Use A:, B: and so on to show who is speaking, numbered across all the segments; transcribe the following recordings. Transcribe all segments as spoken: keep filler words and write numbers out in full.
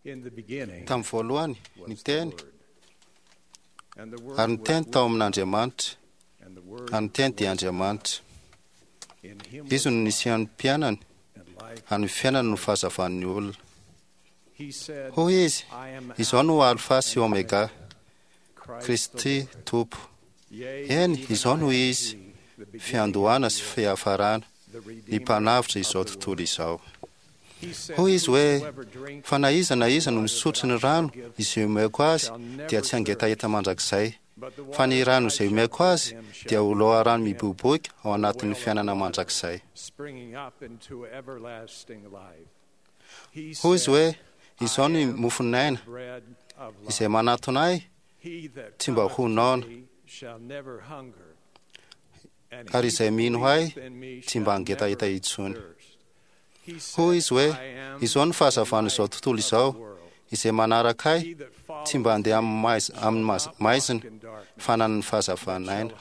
A: Tamin'ny voalohany ny Teny, ary ny Teny tao amin'Andriamanitra, ary ny Teny dia Andriamanitra. Izy no nisian'ny mpianany, ary ny fiainany no fahazavan'ny olona. Hoy izy, izao no Alfa sy Omega, Kristy Tompo. Eny, izao no izy, fiandohana sy fiafarana, ny mpanavotra izao tontolo izao. Hoy izy hoe, fa na iza na iza no misotro ny rano izay omeko azy dia tsy hangetaheta mandrakizay, fa ny rano izay omeko azy dia ho loharano miboiboika ao anatin'ny fiainana mandrakizay. Hoy izy hoe, izao ny mofon'aina, izay manatona ahy tsy mba ho noana, ary izay mino ahy tsy mba hangetaheta intsony. Hoy izy hoe, izao ny fahazavan'izao tontolo izao, izay manaraka ahy tsy mba handeha amin'ny maizina, fa hanana ny fahazavan'aina.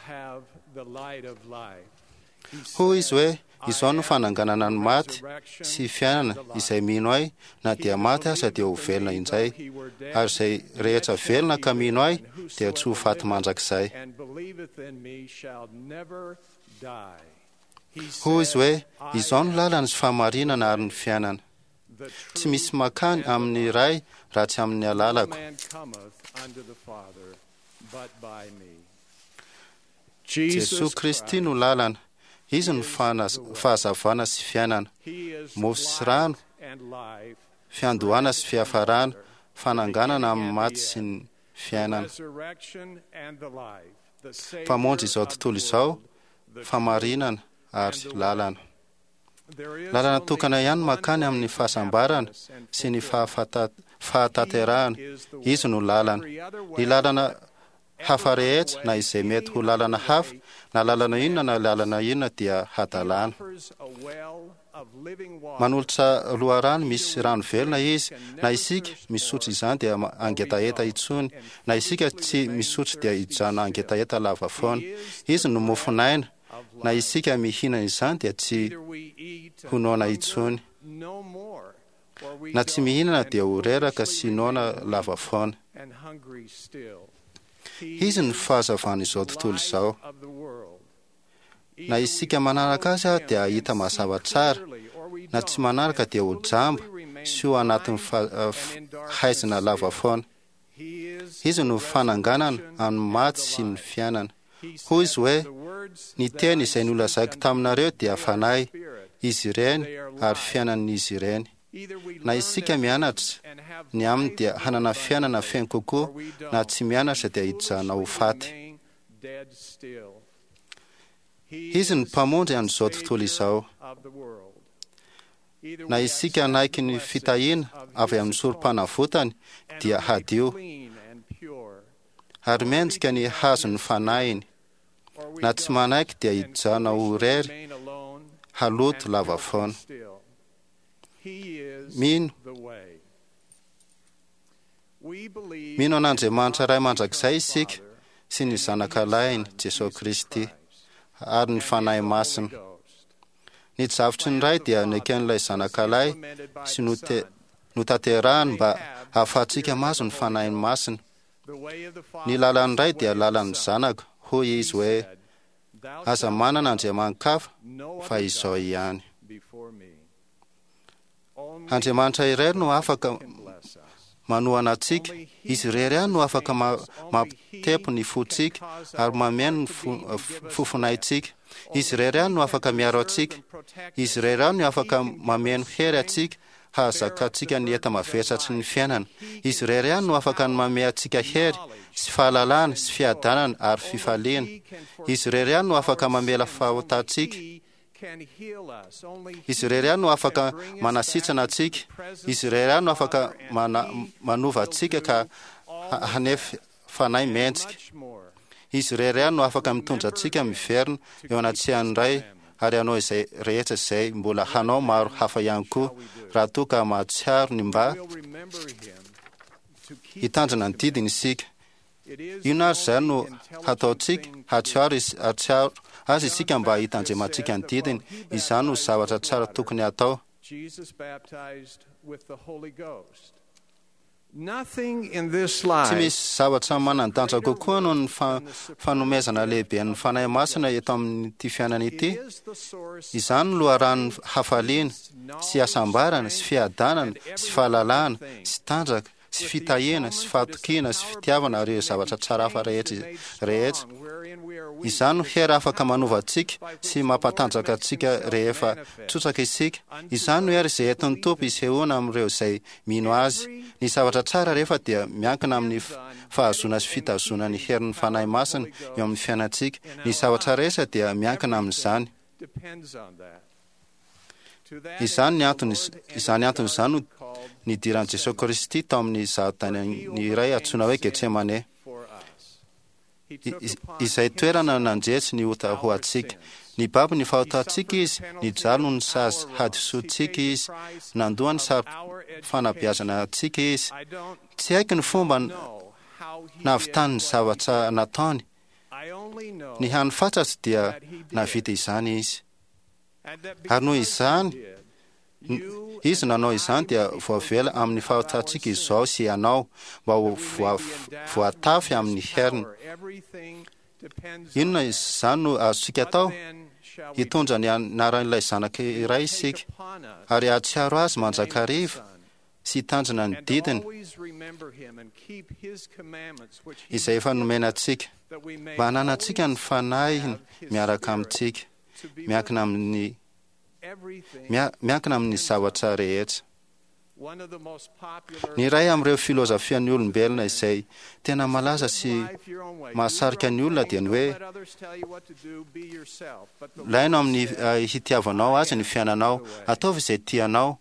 A: Hoy izy hoe, izao no fananganana ny maty sy fiainana, izay mino ahy na dia maty aza dia ho velona indray, ary izay rehetra velona ka mino ahy dia tsy ho faty mandrakizay. Hoy izy hoe, izao no lalana sy fahamarinana ary ny fiainana. Tsy misy makany amin'ny Ray raha tsy amin'ny alalako. Jesoa Kristy no lalana. Izy no fahazavana sy fiainana, mofo sy rano, fiandohana sy fiafarana, fananganana amin'ny maty sy ny fiainana. Mpamonjy izao tontolo izao, famarinana ary lalana. Lalana tokana ihany makany amin'ny fahasambarana sy ny fahatanterahana. Izy no lalana. Ny lalana hafa rehetra, na izay mety ho lalana hafa, na lalana inona na lalana inona dia hadalana. Manolotra loharano misy rano velona izy, na isika misotro izany dia hangetaheta intsony, na isika tsy misotro dia hijanona hangetaheta lava foana. Izy no mofon'aina, na isika mihinana izany dia tsy ho noana intsony. Na tsy mihinana dia ho reraka sy noana lava foana. Izy no fahazavan'izao tontolo izao. Na isika manaraka azy dia hahita mazava tsara, na tsy manaraka dia ho jamba sy ho anatin'ny haizina lava foana. Izy no fananganana amin'ny maty sy ny fiainana. Hoy izy hoe, ny teny izay nolazaiko taminareo dia fanahy, izy ireny ary fiainan'izy ireny. Na isika mianatra ny aminy dia hanana fiainana feno kokoa, na tsy mianatra dia hijanona ho faty. Izy no mpamonjy an'izao tontolo izao. Na isika hanaiky ny fitahiana avy amin'ny sorom-panavotany dia hadio, ary mendrika ny hazon'ny fanahiny. Na tsy manaiky dia hijanona ho irery, haloto lava foana. Mino Mino an'Andriamanitra Ray mandrakizay isika sy ny Zanaka lahiny, Jesoa Kristy, ary ny Fanahy Masina. Ny drafitry ny Ray dia neken'ilay Zanaka lahy sy notanterahiny mba hahafahantsika mahazo ny Fanahiny Masina. Ny lalan'ny Ray dia lalan'ny Zanaka, hoy Izy hoe, Aza manana andriamani-kafa fa Izaho ihany. Andriamanitra irery no afaka manohana antsika. Izy irery ihany no afaka mampitepo ny fontsika ary mameno ny fofonaintsika. Izy irery ihany no afaka miaro antsika. Izy irery ihany no afaka mameno hery antsika hahazakantsika ny enta-mavesatry ny fiainana. Izy irery ihany no afaka ny manome antsika hery sy fahalalana sy fiadanana ary fifaliana. Izy irery ihany no afaka mamela fahotantsika. Izy irery ihany no afaka manasitrana antsika. Izy irery ihany no afaka manova antsika ka hanefy fanahy mendrika. Izy irery ihany no afaka mitondra antsika miverina eo anatrehan'ny Ray ary hanao izay rehetra izay mbola hanao maro hafa ihany koa raha toa ka mahatsiaro ny mba hitandrina ny didiny isika. Inona ary izany no hataontsika? Hahatsiaro hahatsiaro Azy isika mba hitandremantsika ny didiny. Izany no zavatra tsara tokony hatao. Tsy misy zavatra manan-danja kokoa noho ny fanomezana lehibe ny Fanahy Masina eto amin'ity fiainana ity. Izany no loharanon'ny hafaliana sy hasambarana sy fiadanana sy fahalalana sy tanjaka sy fitahiana sy fahatokiana sy fitiavana ary ireo zavatra tsara hafa rehetra rehetra. Izany no hery afaka manova antsika sy mampatanjaka antsika rehefa tsotsaka isika. Izany no hery izay entin'ny Tompo isehoana amin'ireo izay mino Azy. Ny zavatra tsara rehefa dia miankina amin'ny fahazoana sy fitazonana ny herin'ny Fanahy Masina eo amin'ny fiainantsika. Ny zavatra rehetra dia miankina amin'izany. Izany ny antony, izany antony izany no nidiran'i Jesosy Kristy tao amin'ny zaridaina iray antsoina hoe Getsemane, izay toerana nandresy ny ota ho antsika. Nibaby ny fahotantsika Izy, nijaly noho ny sazy hadisoantsika Izy, nandoa ny sary fanabeazana antsika Izy. Tsy haiko ny fomba nahavitany ny zavatra nataony. Ny hany fantatro dia nahavita izany Izy. Ary noho izany Izy nanao izany dia voavela amin'ny fahotantsika izao sy ianao mba ho voatafy amin'ny heriny. Inona izany no azontsika atao? Hitondra ny anaran'ilay zanaka iray isika ary hahatsiaro azy mandrakariva sy hitandrina ny didiny izay efa nomena antsika mba hananantsika ny fanahiny miaraka amintsika miankina amin'ny miankina amin'ny zavatra rehetra. Ny iray amin'ireo filozofian'ny olombelona izay tena malaza sy mahasarika ny olona dia ny hoe laino amin'ny hitiavanao azy ny fiainanao, ataovy izay tianao,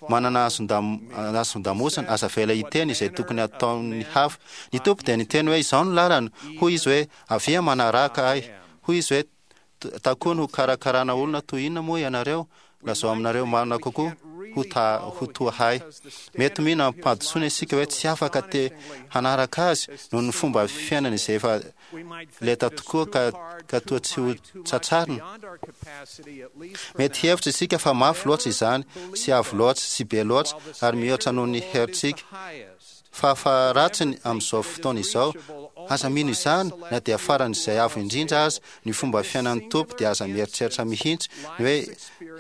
A: manana hazon-damosina, aza avela hiteny izay tokony hataon'ny hafa. Ny Tompo dia niteny hoe izao no lalana, hoy Izy hoe avia manaraka ahy, hoy Izy hoe takony ho karakarana olona toy inona moa ianareo, lazao aminareo marina kokoa ho ta ho toa hay. Mety mino am-pahadisoana isika hoe tsy afaka te hanaraka azy noho ny fomba fiainana izay efa leta tokoa ka ka toa tsy ho tsatsarina. Mety hevitra isika fa mafy loatra izany sy avo loatra sy be loatra ary mihoatra noho ny herintsika. Fahafaharatsiny amin'izao fotoana izao, aza mino izany na dia faran'izay avo indrindra aza ny fomba fiainan'ny Tompo dia aza mieritreritra mihitsy ny hoe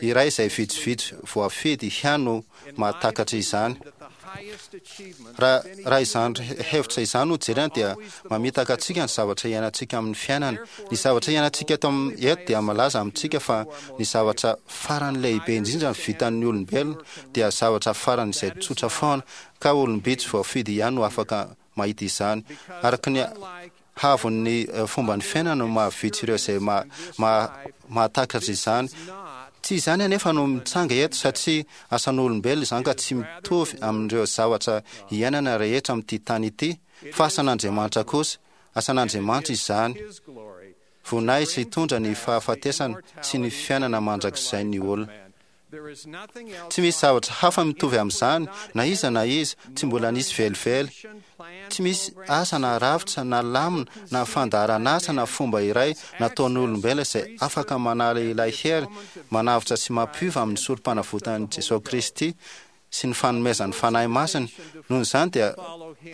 A: iray izay vitsivitsy voafidy ihany no mahatakatra izany. Raha raha izany hevitra izany no jerena dia mamitaka antsika ny zavatra iainantsika amin'ny fiainana. Ny zavatra iainantsika eto eto dia malaza amintsika fa ny zavatra farany lehibe indrindra ny vitan'ny olombelona dia zavatra farany izay tsotra foana ka olom-bitsy voafidy ihany no afaka mahita izany. Araka ny haavon'ny fomba ny fiainana no mahavitsy ireo izay mahatakatra izany. Tsy izany anefa no mitsanga eto satria asan'olombelona izany ka tsy mitovy amin'ireo zavatra iainana rehetra amin'ity tany ity, fa asan'Andriamanitra kosa. Asan'Andriamanitra izany. Voninahitra hitondra ny fahafatesana sy ny fiainana mandrakizay ny olona. Tsy misy zavatra hafa mitovy amin'izany na iza na iza, tsy mbola nisy velively. Tsy misy asa na rafitra na lamina na fandaharan'asa na fomba iray nataon'olombelona izay afaka manala ilay hery manavotra sy mampiova amin'ny sorom-panavotan'i Jesosy Kristy sy ny fanomezan'ny Fanahy Masina. Noho izany dia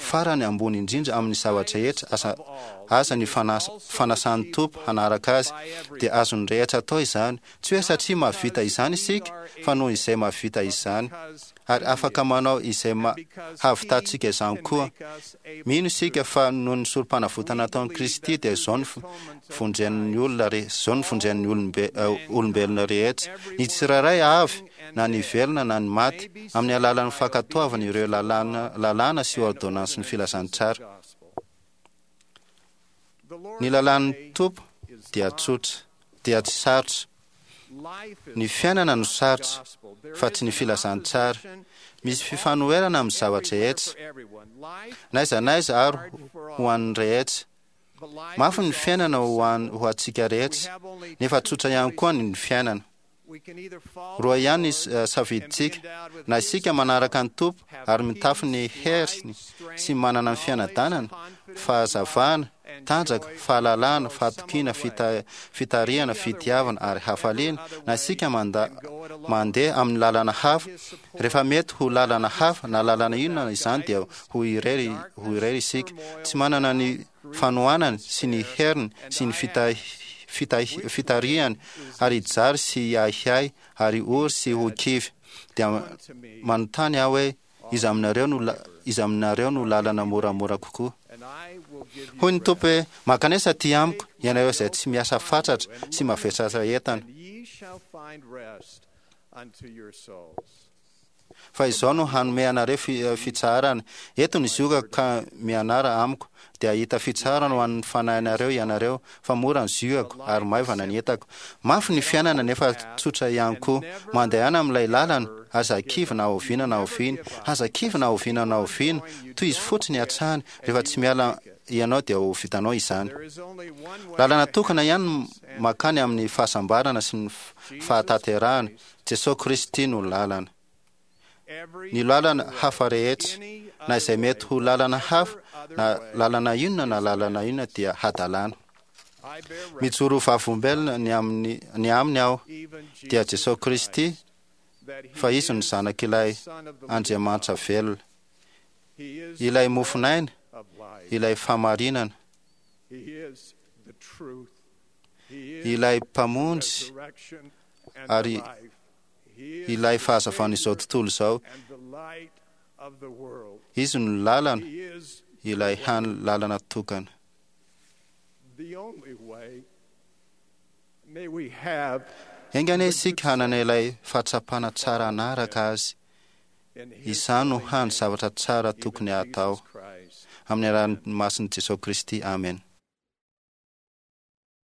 A: farany ambony indrindra amin'ny zavatra rehetra aza aza ny fanasan'ny Tompo hanaraka Azy dia azon'ny rehetra atao izany. Tsy hoe satria mahavita izany isika fa noho izay mahavita izany. Ary afaka manao izay mahavitantsika izany koa. Mino isika fa noho ny sorom-panavotana nataon'i Kristy dia izao ny vonjen'ny olona izao ny vonjen'ny olombelona rehetra. Ny tsirairay avy na ny velona na ny maty, amin'ny alalan'ny fankatoavana ireo lalàna lalàna sy ôrdônansin'ny filazantsara. Ny lalàn'ny Tompo dia tsotra, dia tsy sarotra. Ny fiainana no sarotra, fa tsy ny filazantsara. Misy fifanoherana amin'ny zavatra rehetra, n'aiza n'aiza ary ho an'ny rehetra. Mafy ny fiainana ho an ho antsika rehetra, nefa tsotra ihany koa ny fiainana. Roa ihany ny safidintsika, na isika manaraka ny Tompo ary mitafy ny heriny sy manana ny fianadanana, fahazavana, Tanjaka, fahalalana, fahatokiana, fitarihana, fitiavana ary hafaliana, na isika manda mandeha amin'ny lalana hafa, rehefa mety ho lalana hafa na lalana inona izany, dia ho irery ho irery isika, tsy manana ny fanohanany sy ny heriny sy ny fitarihany, ary hijaly sy hiahiahy ary ory sy ho kivy. Dia manontany aho hoe iza aminareo no iza aminareo no lalana moramora kokoa? Hoy ny Tompo hoe: mankanesa aty amiko ianareo izay tsy miasa fatratra sy mavesatra entana, fa izao no hanome anareo fitsaharana. Eto ny zioga ka mianara amiko, dia hahita fitsaharana ho an'ny fanahinareo ianareo, fa mora ny ziogako ary maivana ny entako. Mafy ny fiainana nefa tsotra ihany koa. Mandehana amin'ilay lalana, aza kivy na oviana na oviana, aza kivy na oviana na oviana, tohizo fotsiny hatrany. Rehefa tsy miala ianao dia ho vitanao izany. Lalana tokana ihany makany amin'ny fahasambarana sy ny fahatanterahana. Jesosy Kristy no lalana. Ny lalana hafa rehetra, na izay mety ho lalana hafa, na lalana inona na lalana inona, dia hadalana. Mijoro vavolombelona ny amin'ny ny aminy aho, dia Jesosy Kristy, fa izy no zanak'ilay Andriamanitra velona, ilay mofon'aina, ilay fahamarinana, ilay mpamonjy ary ilay fahazavan'izao tontolo izao. Izy no lalana, ilay hany lalana tokana. Enga anie isika hanana ilay fahatsapana tsara hanaraka azy. Izany no hany zavatra tsara tokony hatao. Amin'ny anaran'ny masin'i Jesosy Kristy, amen.